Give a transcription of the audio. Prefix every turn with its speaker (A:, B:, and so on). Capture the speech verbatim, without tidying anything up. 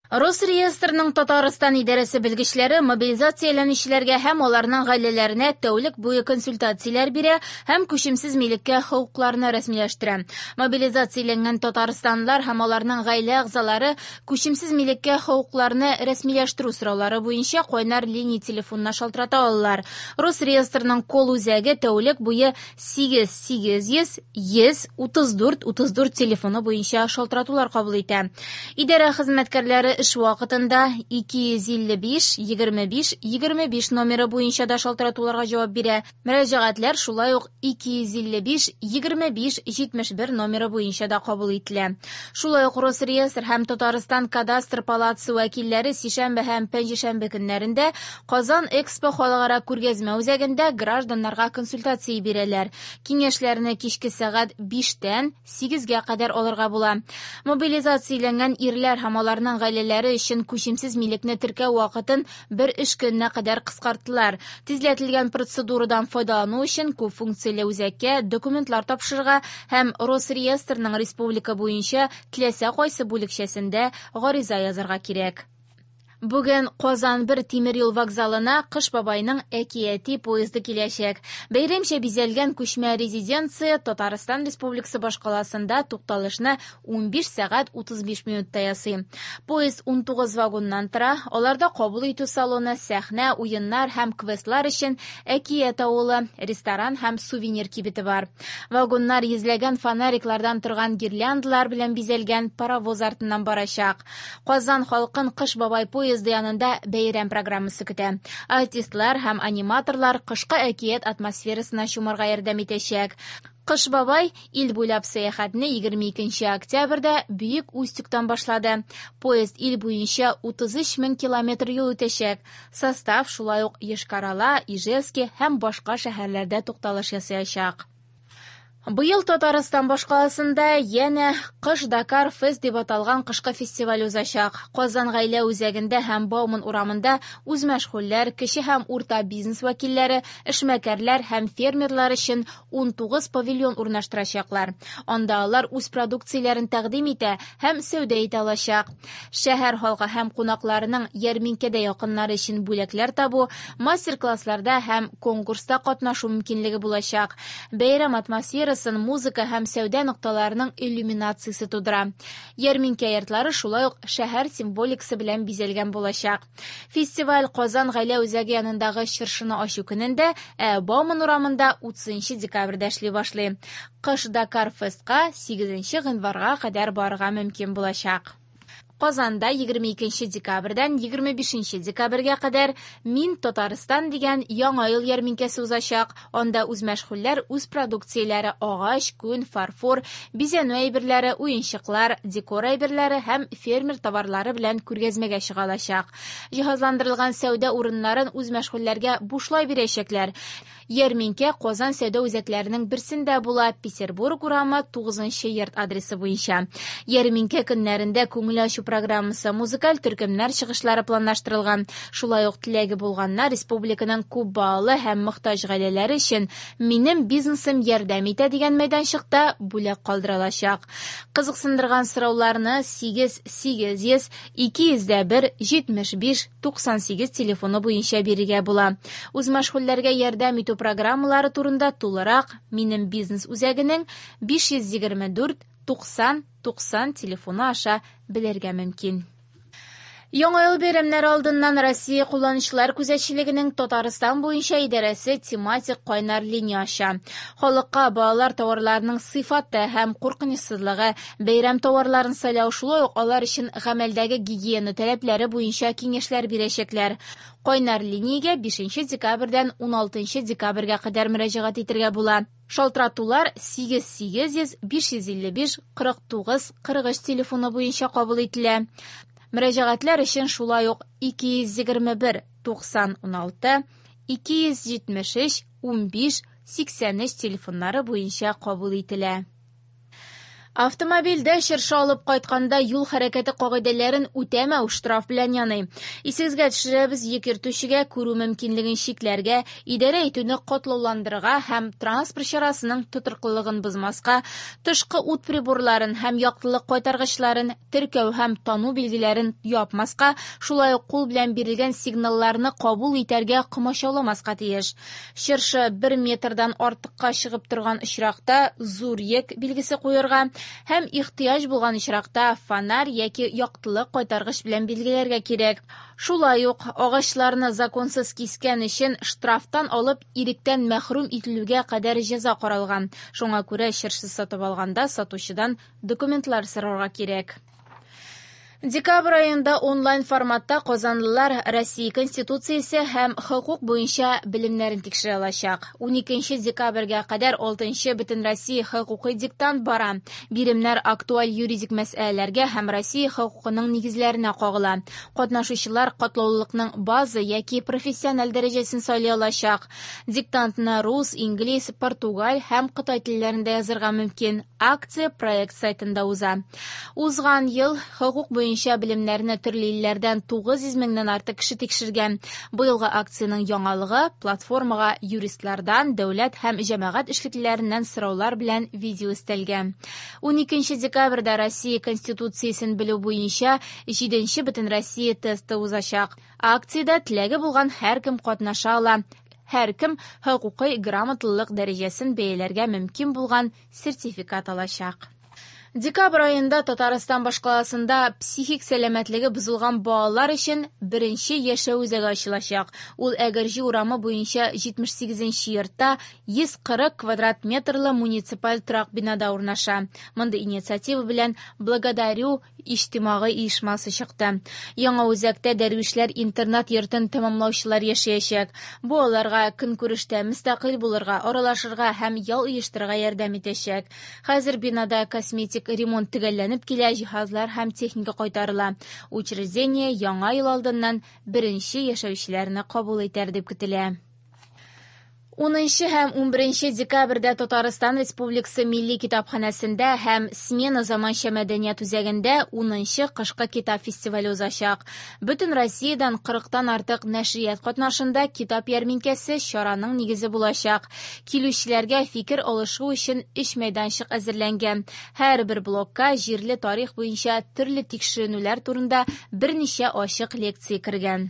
A: Росреестрның Татарстан идарәсе белгечләре мобилизацияләнүчеләргә һәм аларның гаиләләренә тәүлек буе консультацияләр бирә һәм күчемсез милеккә хокукларны рәсмиләштерә. Мобилизацияләнгән татарстанлылар һәм аларның гаилә әгъзалары күчемсез милеккә хокукларны рәсмиләштерү сораулары буенча кайнар линия телефонына шалтырата алалар. Росреестрның колл-үзәге тәүлек буе сигез сигез йөз йөз утыз дүрт утыз дүрт телефоны буенча шалтыратулар кабул итә. Идарә хезмәткәрләре эш вакытында ике йөз илле биш егерме биш егерме биш номеры буенча да шалтыратуларга җавап бирә. Мөрәҗәгатьләр шулай ук ике йөз илле биш егерме биш җитмеш бер номеры буенча да кабул ителә. Шулай ук Росреестр һәм Татарстан кадастр палатасы вәкилләре сишәмбе һәм пәнҗешәмбе көннәрендә Казан Экспо халыкара күргәзмә үзәгендә гражданнарга консультация бирәләр. Киңәшләрне кичке сәгать биштән сигезгә кадәр алырга була. Мобилизацияләнгән ирләр һәм аларның гаиләләре өчен күчемсез милекне теркәү вакытын бер эш көненә кадәр кыскарттылар. Тизләтелгән процедурадан файдалану өчен күп функцияле үзәккә документлар тапшырырга һәм Росреестрның республика буенча теләсә кайсы бүлекчәсендә гариза язарга кирәк. Бүген Казан бер тимер юл вокзалына Кыш бабайның әкияти поезды киләчәк. Бәйрәмчә бизәлгән күчмә резиденция Татарстан Республикасы башкаласында тукталышны унбиш сәгать утыз биш минутта ясый. Поезд унтугыз вагоннан тора, аларда кабул итү салоны, сәхнә, уеннар һәм квестлар өчен әкият авылы, ресторан һәм сувенир кибете бар. Вагоннар йөзләгән фонариклардан торган гирляндалар белән бизәлгән паровоз артыннан барачак. Казан халкын Кыш бабай поезды поезды янында бәйрәм программасы көтә. Артистлар һәм аниматорлар кышкы әкият атмосферасына чумарга ярдәм итәчәк. Кыш бабай ил буйлап сәяхәтне егерме икенче октябрьдә Бөек Устюгтан башлады. Поезд ил буенча утыз өч мең километр юл үтәчәк. Состав шулай ук Йошкар-Ола, Ижевск һәм башка шәһәрләрдә тукталыш ясаячак. Быел Татарстан башкаласында янә Кыш Дакар Фест дип аталган кышкы фестиваль узачак. Казан гаилә үзәгендә һәм Бауман урамында үзмәшгульләр, кече һәм урта бизнес вәкилләре, эшмәкәрләр һәм фермерлар өчен унтугыз павильон урнаштырачаклар. Анда алар үз продукцияләрен тәкъдим итә һәм сәүдә итә алачак. Шәһәр халкы һәм кунакларының ярминкәдә якыннары өчен бүләкләр табу, мастер-классларда һәм конкурста катнашу мөмкинлеге булачак. Бәйрәм атмосферасы музыка һәм сәүдә нокталарының иллюминациясе тудыра. Ярминкә йортлары шулай ук шәһәр символикасы белән бизәлгән булачак. Фестиваль Казан гаилә үзәге янындагы чыршыны ачу көнендә, ә Бауман урамында утызынчы декабрьдә эшли башлый. Кыш Дакар Фестка сигезенче гыйнварга кадәр барырга мөмкин булачак. Казанда егерме икенче декабрьдән егерме бишенче декабрьгә кадәр Мин Татарстан дигән яңа ел ярминкәсе узачак. Анда үзмәшгульләр үз продукцияләре агач, күн, фарфор, бизәнү әйберләре, уенчыклар, декор әйберләре һәм фермер товарлары белән күргәзмәгә чыга алачак. Җиһазландырылган сәүдә урыннарын үзмәшгульләргә бушлай бирәчәкләр. Ярминкә Казан сәүдә үзәкләренең берсендә була, Петербург урамы тугызынчы йорт адресы буенча. Ярминкә көннәрендә күңел ачу программасы, музыкаль төркемнәр чыгышлары планлаштырылган. Шулай ук теләге булганнар республиканың күп балалы һәм мохтаҗ гаиләләре өчен Минем бизнесым ярдәм итә дигән мәйданчыкта бүләк калдыра алачак. Кызыксындырган сорауларны сигез сигез йөз ике йөз дә бер җитмеш биш туксан сигез телефоны буенча бирергә була. Үзмәшгульләргә ярдәм итү программалары турында тулырак Минем бизнес үзәгенең биш йөз егерме дүрт туксан туксан телефоны аша белергә мөмкин. Яңа ел бәйрәмнәре алдыннан Россия кулланучылар күзәтчелегенең Татарстан буенча идарәсе тематик кайнар линия ача. Халыкка балалар товарларының сыйфаты һәм куркынычсызлыгы, бәйрәм товарларын сайлау, шулай ук алар өчен гамәлдәге гигиена таләпләре буенча киңәшләр бирәчәкләр. Кайнар линиягә бишенче декабрьдән уналтынчы декабрьгә кадәр мөрәҗәгать итәргә була. Шалтыратулар сигез сигез йөз биш йөз илле биш кырык тугыз кырык өч телефоны буенча кабул ителә. Мөрәҗәгатьләр өчен шулай ук ике йөз егерме бер туксан уналты, ике йөз җитмеш өч унбиш сиксән өч телефоннары буенча кабул ителә. Автомобильдә чыршы алып кайтканда юл хәрәкәте кагыйдәләрен үтәмәү штраф белән яный. Исегезгә төшерәбез, йөк йөртүчегә күрү мөмкинлеген чикләргә, идарә итүне катлауландырырга һәм транспорт чарасының тотрыклылыгын бозмаска, тышкы ут приборларын һәм яктылык кайтаргычларын, теркәү һәм тану билгеләрен япмаска, шулай ук кул белән бирелгән сигналларны кабул итәргә комачауламаска тиеш. Чыршы бер метрдан артыкка чыгып торган очракта зур йөк билгесе куярга һәм ихтыяҗ булган очракта фонарь яки яктылык кайтаргыч белән билгеләргә кирәк. Шулай ук агачларны законсыз кискән өчен штрафтан алып иректән мәхрүм ителүгә кадәр җәза каралган. Шуңа күрә чыршы сатып алганда сатучыдан документлар сорарга кирәк. Декабрь аенда онлайн форматта казанлылар Россия Конституциясе һәм хокук буенча белемнәрен тикшерә алачак. Уникенче декабрьгә кадәр алтынчы Бөтенроссия хокукый диктант бара. Биремнәр актуаль юридик мәсьәләләргә һәм Россия хокукының нигезләренә кагыла. Катнашучылар катлаулылыкның база яки профессиональ дәрәҗәсен сайлый алачак. Диктантны рус, инглиз, португаль һәм кытай телләрендә язырга мөмкин. Акция проект сайтында уза. Узган ел хокук буенча белемнәрне төрле илләрдән тугыз йөз меңнән артык кеше тикшергән. Быелгы акциянең яңалыгы платформага юристлардан, дәүләт һәм җәмәгать эшлеклеләреннән сораулар белән видео өстәлгән. Уникенче декабрьдә Россия Конституциясен белү буенча җиденче Бөтенроссия тесты узачак. Акциядә теләге булган һәркем катнаша ала. Һәркем хокукый грамоталылык дәрәҗәсен бәяләргә мөмкин булган сертификат алачак. Декабрь аенда Татарстан башкаласында психик сәламәтлеге бозылган балалар өчен беренче яшәү үзәге ачылачак. Ул Әгерҗе урамы буенча җитмеш сигезенче йортта йөз кырык квадрат метрлы муниципаль торак бинада урнаша. Мондый инициатива белән Благодарю иҗтимагый оешмасы чыкты. Яңа үзәктә дәрвишләр интернат йортын тәмамлаучылар яшәячәк. Бу аларга көнкүрештә мөстәкыйль булырга, аралашырга һәм ял оештырырга ярдәм итәчәк. Хәзер бинада косметик ремонт төгәлләнеп килә, җиһазлар һәм техника кайтарыла. Учреждение яңа ел алдыннан беренче яшәүчеләрне кабул итәр дип көтелә. Унынчы һәм унберенче декабрьдә Татарстан Республикасы Милли китапханәсендә һәм Смена заманча мәдәният үзәгендә унынчы кышкы китап фестивале узачак. Бөтен Россиядән кырыктан артык нәшрият катнашында китап ярминкәсе чараның нигезе булачак. Килүчеләргә фикер алышу өчен өч мәйданчык әзерләнгән. Һәрбер блокка җирле тарих буенча төрле тикшеренүләр турында берничә ачык лекция кергән.